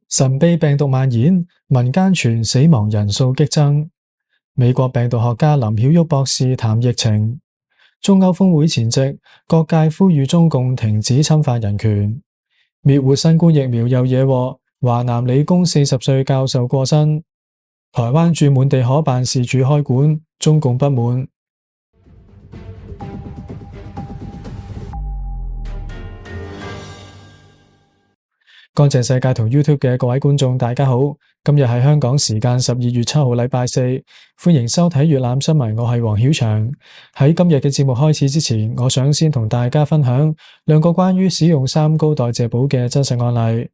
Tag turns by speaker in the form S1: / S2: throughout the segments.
S1: 神秘病毒蔓延，民間傳死亡人數激增。美國病毒學家林曉旭博士談疫情。中歐峰會前夕，各界呼籲中共停止侵犯人權。滅活新冠疫苗又惹禍，華南理工40歲教授過身。台灣駐滿地可辦事處開館，中共不滿。乾淨世界同 YouTube 嘅各位觀眾，大家好。今日係香港時間12月7號，禮拜四，歡迎收睇粵覽新聞，我係黃曉翔。喺今日嘅節目開始之前，我想先同大家分享兩個關於使用三高代謝寶嘅真實案例。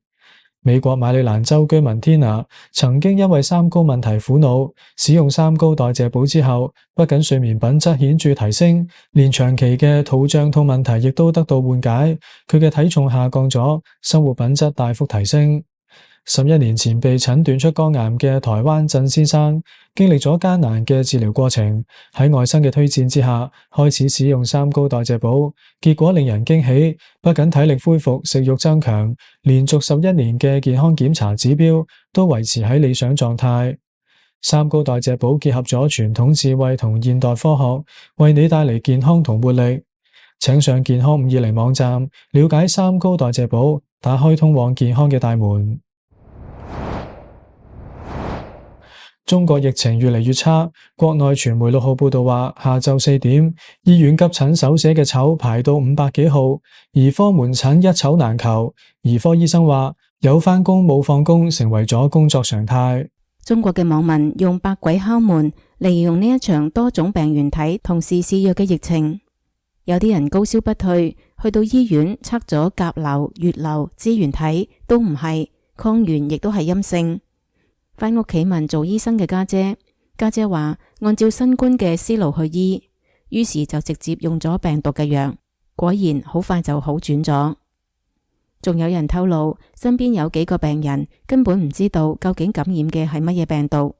S1: 美國馬里蘭州居民 Tina 曾經因為三高問題苦惱，使用三高代謝寶之後，不僅睡眠品質顯著提升，連長期嘅肚脹痛問題亦都得到緩解。佢嘅體重下降咗，生活品質大幅提升。11年前被診斷出肝癌嘅台灣鄭先生，經歷咗艱難嘅治療過程，喺外甥嘅推薦之下，開始使用三高代謝寶，結果令人驚喜，不僅體力恢復、食慾增強，連續11年嘅健康檢查指標都維持喺理想狀態。三高代謝寶結合咗傳統智慧同現代科學，為你帶嚟健康同活力。請上健康520網站，了解三高代謝寶，打開通往健康嘅大門。中國疫情越嚟越差，國內傳媒6號報道話，下晝4點，醫院急診手寫嘅籌排到500幾號，兒科門診一籌難求。兒科醫生話，有返工冇放工成為咗工作常態。
S2: 中國嘅網民用百鬼敲門嚟形容呢一場多種病原體同時肆虐嘅疫情。有啲人高燒不退，去到醫院測咗甲流、乙流、支原體都唔係，抗原亦都係陰性。返屋企問做醫生嘅家姐話按照新冠嘅思路去醫，於是就直接用咗病毒嘅藥，果然好快就好轉咗。仲有人透露身邊有幾個病人根本唔知道究竟感染嘅係乜嘢病毒，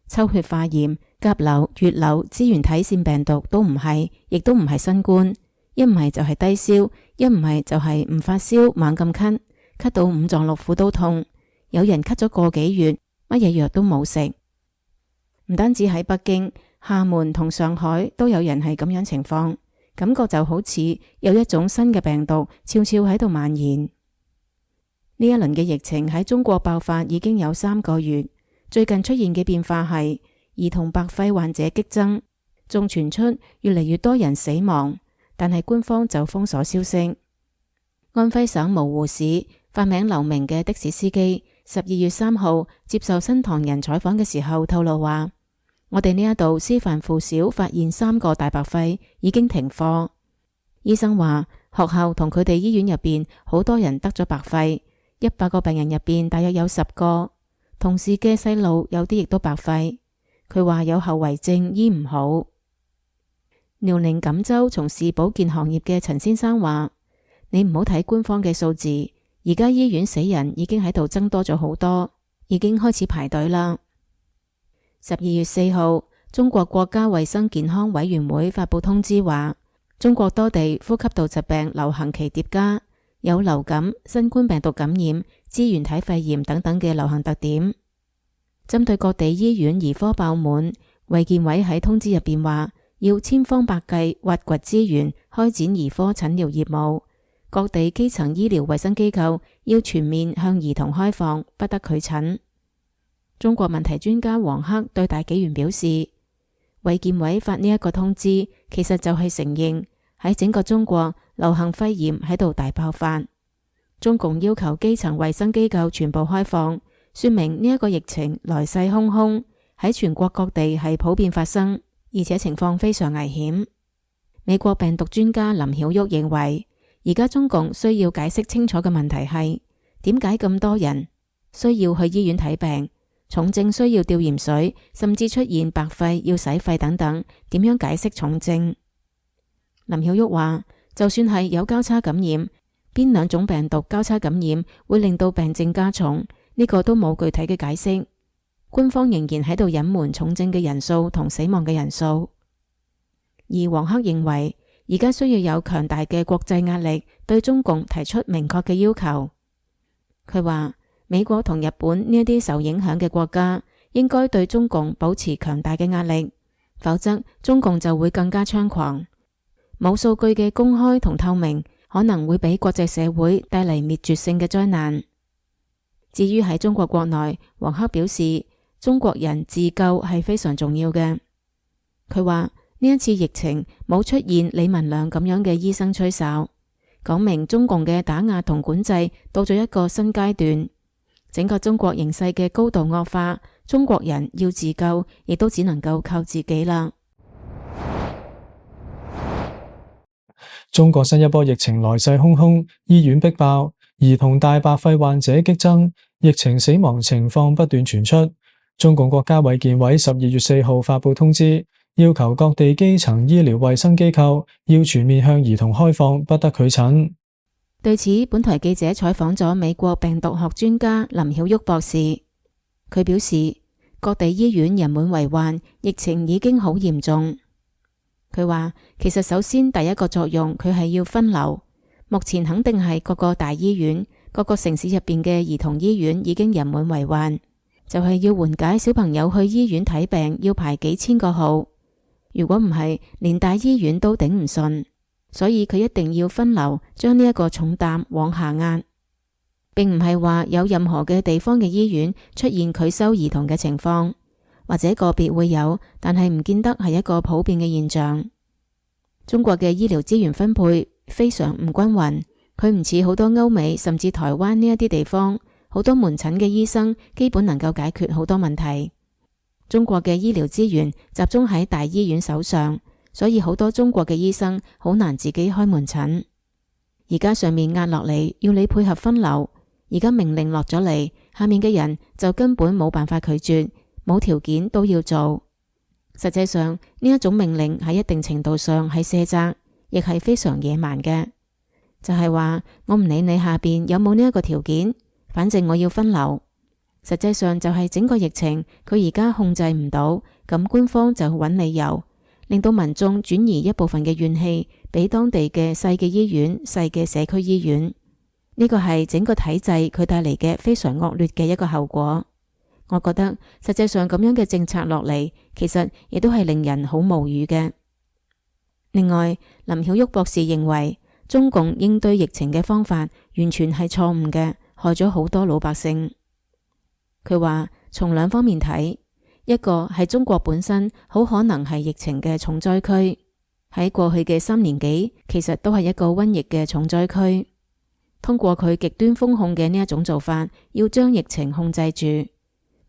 S2: 抽血化驗甲流、乙流、支原體腺病毒都唔係，亦都唔係新冠，一唔係就係低燒，一唔係就係唔發燒猛咁咳，咳到五臟六腑都痛，有人咳咗個幾月，乜嘢藥都冇食。唔單止喺北京、廈門同上海都有人係咁樣情況，感覺就好似有一種新嘅病毒悄悄喺度蔓延。呢一輪嘅疫情喺中國爆發已經有3個月，最近出現嘅變化係兒童白肺患者激增，仲傳出越嚟越多人死亡，但係官方就封鎖消息。安徽省蕪湖市化名劉明嘅的士司機12月3號接受新唐人採訪嘅時候透露話，我哋呢一度師範附小發現3個大白肺，已經停課。醫生話學校同佢哋醫院入邊好多人得咗白肺，100個病人入邊大約有10個，同事嘅細路有啲亦都白肺。佢話有後遺症，醫唔好。遼寧錦州從事保健行業嘅陳先生話，你唔好睇官方嘅數字，而家醫院死人已經喺度增多咗好多，已經開始排隊啦。12月4號，中國國家衛生健康委員會發布通知話，中國多地呼吸道疾病流行期疊加，有流感、新冠病毒感染、支原體肺炎等等嘅流行特點。針對各地醫院兒科爆滿，衛健委喺通知入邊話，要千方百計挖掘資源，開展兒科診療業務。各地基層醫療衛生機構要全面向兒童開放，不得拒診。中國問題專家王克對大紀元表示，衛健委發呢一個通知，其實就係承認喺整個中國流行肺炎喺度大爆發。中共要求基層衛生機構全部開放，說明呢一個疫情來勢洶洶，喺全國各地係普遍發生，而且情況非常危險。美國病毒專家林曉旭認為，而家中共需要解釋清楚嘅問題係，點解咁多人需要去醫院睇病，重症需要吊鹽水，甚至出現白肺要洗肺等等，點樣解釋重症？林曉旭話，就算係有交叉感染，邊兩種病毒交叉感染會令到病症加重，呢個都冇具體嘅解釋。官方仍然喺度隱瞞重症嘅人數同死亡嘅人數。而王克認為，而家需要有強大嘅國際壓力，對中共提出明確嘅要求。佢話，美國同日本呢一啲受影響嘅國家應該對中共保持強大嘅壓力，否則中共就會更加猖狂。冇數據嘅公開同透明可能會俾國際社會帶嚟滅絕性嘅災難。至於喺中國國內，黃克表示中國人自救係非常重要嘅。佢話呢一次疫情冇出現李文亮咁樣嘅醫生吹哨，講明中共嘅打壓同管制到咗一個新階段，整個中國形勢嘅高度惡化，中國人要自救亦都只能夠靠自己啦。
S1: 中國新一波疫情來勢洶洶，醫院逼爆，兒童大白肺患者激增，疫情死亡情況不斷傳出。中共國家衛健委12月4號發布通知，要求各地基層醫療衛生機構要全面向兒童開放，不得拒診。
S2: 對此，本台記者採訪咗美國病毒學專家林曉旭博士，佢表示各地醫院人滿為患，疫情已經好嚴重。佢話其實首先第一個作用佢係要分流，目前肯定係各個大醫院、各個城市入邊嘅兒童醫院已經人滿為患，就係要緩解小朋友去醫院睇病要排幾千個號，如果唔係連大醫院都頂唔順，所以佢一定要分流，將呢一個重擔往下壓，並唔係話有任何嘅地方嘅醫院出現拒收兒童嘅情況，或者個別會有，但係唔見得係一個普遍嘅現象。中國嘅醫療資源分配非常唔均勻，佢唔似好多歐美甚至台灣呢一啲地方，好多門診嘅醫生基本能夠解決好多問題。中國嘅醫療資源集中喺大醫院手上，所以好多中國嘅醫生好難自己開門診。而家上面壓落嚟要你配合分流，而家命令落咗嚟，下面嘅人就根本冇辦法拒絕，冇條件都要做。實際上呢一種命令喺一定程度上係卸責，亦係非常野蠻嘅。就係話我唔理你下邊有冇呢一個條件，反正我要分流。實際上就係整個疫情佢而家控制唔到，咁官方就揾理由，令到民眾轉移一部分嘅怨氣俾當地嘅細嘅醫院、細嘅社區醫院。呢個係整個體制佢帶嚟嘅非常惡劣嘅一個後果。我覺得實際上咁樣嘅政策落嚟，其實亦都係令人好無語嘅。另外，林曉旭博士認為中共應對疫情嘅方法完全係錯誤嘅，害咗好多老百姓。佢話從兩方面睇，一個係中國本身好可能係疫情嘅重災區，喺過去嘅3年幾，其實都係一個瘟疫嘅重災區。通過佢極端封控嘅呢一種做法，要將疫情控制住。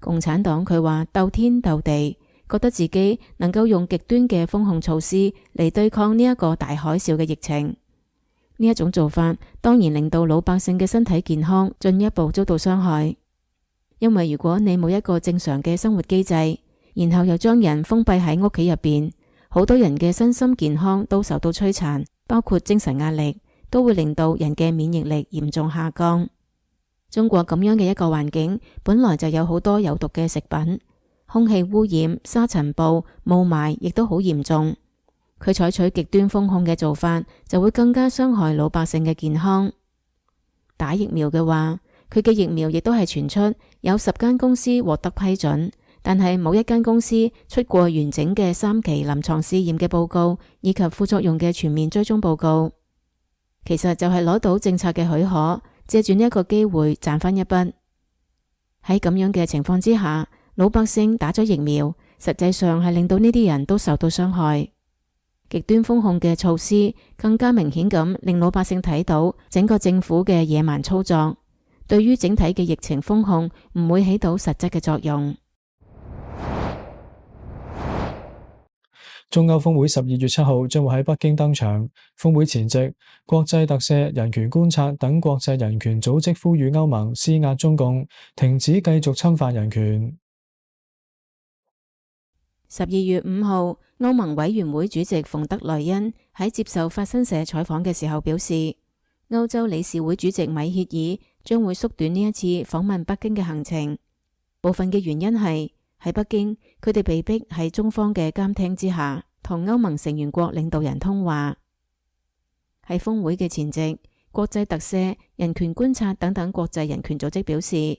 S2: 共產黨佢話鬥天鬥地，覺得自己能夠用極端嘅封控措施嚟對抗呢一個大海嘯嘅疫情。呢一種做法當然令到老百姓嘅身體健康進一步遭到傷害。因為如果你冇一個正常嘅生活機制，然後又將人封閉喺屋企入邊，好多人嘅身心健康都受到摧殘，包括精神壓力，都會令到人嘅免疫力嚴重下降。中國咁樣嘅一個環境，本來就有好多有毒嘅食品，空氣污染、沙塵暴、霧霾亦都好嚴重。佢採取極端封控嘅做法，就會更加傷害老百姓嘅健康。打疫苗嘅話，佢嘅疫苗亦都係傳出有10間公司獲得批准，但係冇一間公司出過完整嘅3期臨床試驗嘅報告，以及副作用嘅全面追蹤報告。其實就係攞到政策嘅許可，借住呢一個機會賺翻一筆。喺咁樣嘅情況之下，老百姓打咗疫苗，實際上係令到呢啲人都受到傷害。極端封控嘅措施更加明顯咁令老百姓睇到整個政府嘅野蠻操作，對於整體嘅疫情封控唔會起到實質嘅作用。
S1: 中歐峰會12月7號將會喺北京登場。峰會前夕，國際特赦、人權觀察等國際人權組織呼籲歐盟施壓中共，停止繼續侵犯人權。
S2: 12月5號，歐盟委員會主席馮德萊恩喺接受法新社採訪嘅時候表示，歐洲理事會主席米歇爾將會縮短呢一次訪問北京嘅行程。部分嘅原因係喺北京，佢哋被逼喺中方嘅監聽之下，同歐盟成員國領導人通話。喺峰會嘅前夕，國際特赦、人權觀察等等國際人權組織表示，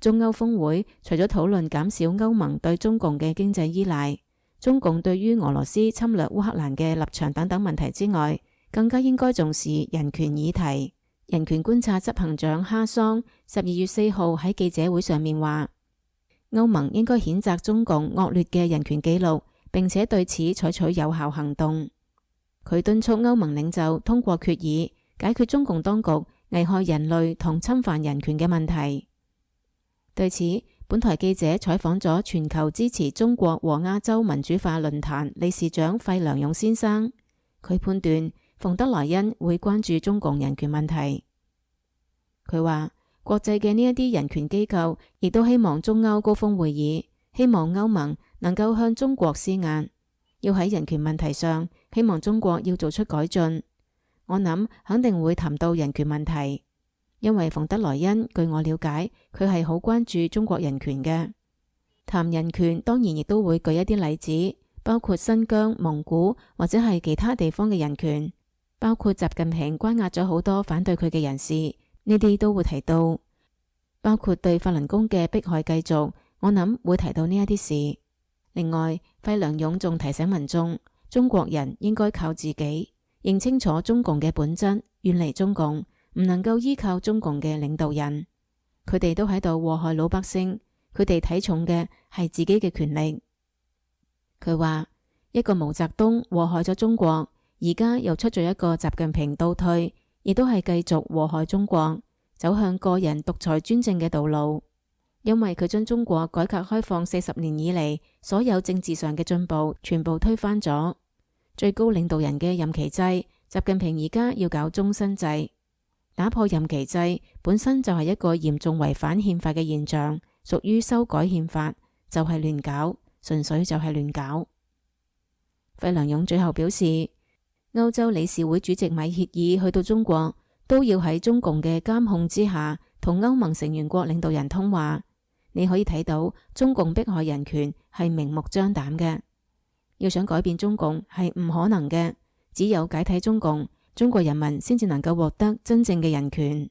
S2: 中歐峰會除咗討論減少歐盟對中共嘅經濟依賴、中共對於俄羅斯侵略烏克蘭嘅立場等等問題之外，更加應該重視人權議題。人權觀察執行長哈桑12月4號喺記者會上面話，歐盟應該譴責中共惡劣嘅人權紀錄，並且對此採取有效行動。佢敦促歐盟領袖通過決議，解決中共當局危害人類同侵犯人權嘅問題。對此，本台記者採訪咗全球支持中國和亞洲民主化論壇理事長費良勇先生，佢判斷馮德萊恩會關注中共人權問題。佢話，國際嘅呢一啲人權機構亦都希望中歐高峰會議，希望歐盟能夠向中國施壓，要喺人權問題上，希望中國要做出改進。我諗肯定會談到人權問題，因為馮德萊恩據我了解，佢係好關注中國人權嘅。談人權當然亦都會舉一啲例子，包括新疆、蒙古或者係其他地方嘅人權，包括習近平關押咗好多反對佢嘅人士，呢啲都會提到，包括對法輪功嘅迫害繼續，我諗會提到呢一啲事。另外，費良勇仲提醒民眾，中國人應該靠自己，認清楚中共嘅本質，遠離中共，唔能夠依靠中共嘅領導人，佢哋都喺度禍害老百姓，佢哋睇重嘅係自己嘅權力。佢話，一個毛澤東禍害咗中國，而家又出咗一個習近平倒退，亦都係繼續禍害中國，走向個人獨裁專政嘅道路。因為佢將中國改革開放40年以嚟所有政治上嘅進步全部推翻咗。最高領導人嘅任期制，習近平而家要搞終身制，打破任期制本身就係一個嚴重違反憲法嘅現象，屬於修改憲法，就係亂搞，純粹就係亂搞。費良勇最後表示，歐洲理事會主席米歇爾去到中國，都要喺中共嘅監控之下，同歐盟成員國領導人通話。你可以睇到中共迫害人權係明目張膽嘅，要想改變中共係唔可能嘅，只有解體中共，中國人民先至能夠獲得真正嘅人權。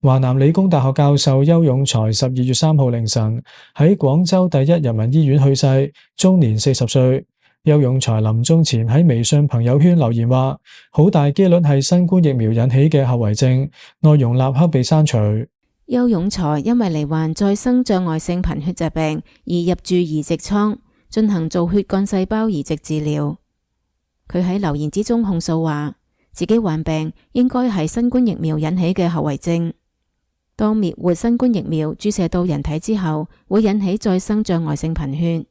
S1: 華南理工大學教授邱勇才12月3號凌晨喺廣州第一人民醫院去世，終年40歲。邱勇才臨終前喺微信朋友圈留言話，好大機率係新冠疫苗引起嘅後遺症，內容立刻被刪除。
S2: 邱勇才因為罹患再生障礙性貧血疾病而入住移植艙，進行造血幹細胞移植治療。佢喺留言之中控訴話，自己患病應該係新冠疫苗引起嘅後遺症。當滅活新冠疫苗注射到人體之後，會引起再生障礙性貧血。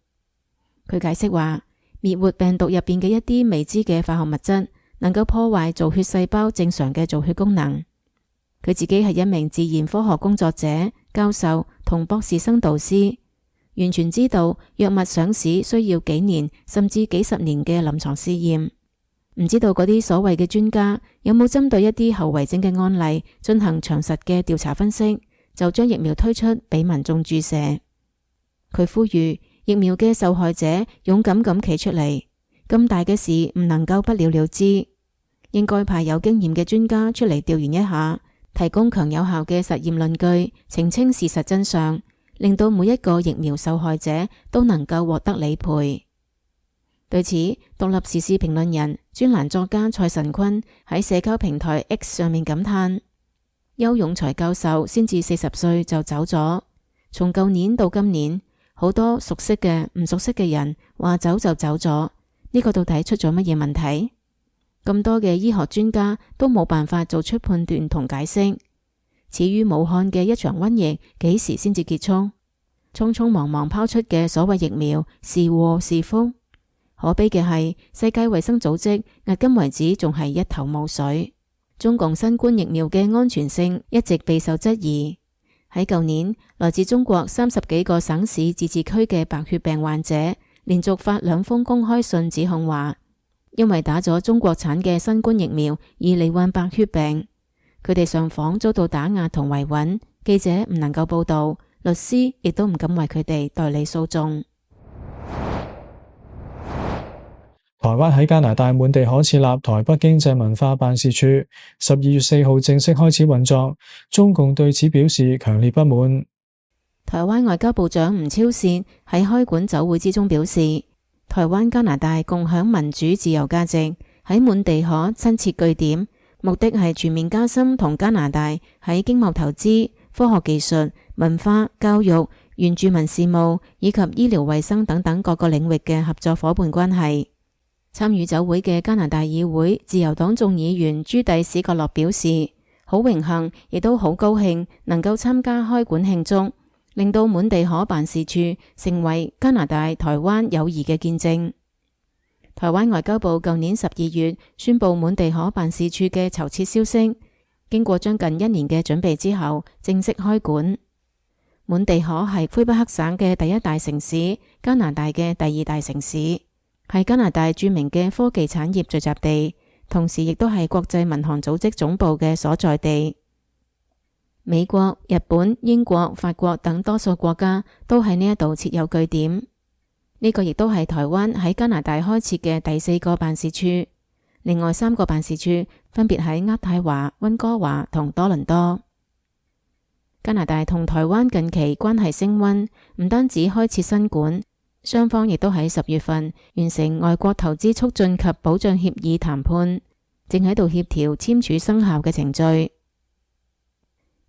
S2: 佢解釋話，滅活病毒入邊嘅一啲未知嘅化學物質，能夠破壞造血細胞正常嘅造血功能。佢自己係一名自然科學工作者、教授同博士生導師，完全知道藥物上市需要幾年甚至幾十年嘅臨床試驗。唔知道嗰啲所謂嘅專家有冇針對一啲後遺症嘅案例進行詳實嘅調查分析，就將疫苗推出俾民眾注射。佢呼籲疫苗嘅受害者勇敢咁企出嚟，咁大嘅事唔能夠不了了之，應該派有經驗嘅專家出嚟調研一下，提供強有效嘅實驗論據，澄清事實真相，令到每一個疫苗受害者都能夠獲得理賠。對此，獨立時事評論人、專欄作家蔡神坤喺社交平台 X 上面感嘆，邱勇才教授先至40歲就走咗，從舊年到今年，好多熟悉嘅、唔熟悉嘅人話走就走咗，呢個到底出咗乜嘢問題？咁多嘅醫學專家都冇辦法做出判斷同解釋。始於武漢嘅一場瘟疫幾時先至結束？匆匆忙忙拋出嘅所謂疫苗是禍是福？可悲嘅係，世界衛生組織迄今為止仲係一頭霧水。中共新冠疫苗嘅安全性一直備受質疑。喺舊年，來自中國30幾個省市自治區嘅白血病患者連續發2封公開信，指控話因為打咗中國產嘅新冠疫苗而罹患白血病。佢哋上訪遭到打壓同維穩，記者唔能夠報道，律師亦都唔敢為佢哋代理訴訟。
S1: 台灣喺加拿大滿地可設立台北經濟文化辦事處，12月4號正式開始運作，中共對此表示強烈不滿。
S2: 台灣外交部長吳釗燮喺開館酒會之中表示，台灣加拿大共享民主自由價值，喺滿地可新設據點，目的係全面加深同加拿大喺經貿投資、科學技術、文化、教育、原住民事務以及醫療衛生等等各個領域嘅合作夥伴關係。參與酒會嘅加拿大議會自由黨眾議員朱蒂史葛洛表示，好榮幸，亦都好高興能夠參加開館慶祝，令到滿地可辦事處成為加拿大台灣友誼嘅見證。台灣外交部舊年12月宣布滿地可辦事處嘅籌設消息，經過將近1年嘅準備之後，正式開館。滿地可係魁北克省嘅第一大城市，加拿大嘅第2大城市，係加拿大著名嘅科技產業聚集地，同時亦都係國際民航組織總部嘅所在地。美國、日本、英國、法國等多數國家都喺呢一度設有據點。呢個亦都係台灣喺加拿大開設嘅第4個辦事處。另外3個辦事處分別喺渥太華、溫哥華同多倫多。加拿大同台灣近期關係升溫，唔單止開設新館，雙方亦都喺10月份完成外國投資促進及保障協議談判，正喺度協調簽署生效嘅程序。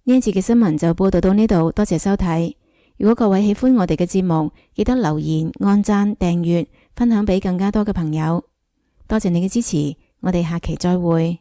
S2: 呢一次嘅新聞就報道到呢度，多謝收睇。如果各位喜歡我哋嘅節目，記得留言、按讚、訂閱、分享俾更加多嘅朋友。多謝你嘅支持，我哋下期再會。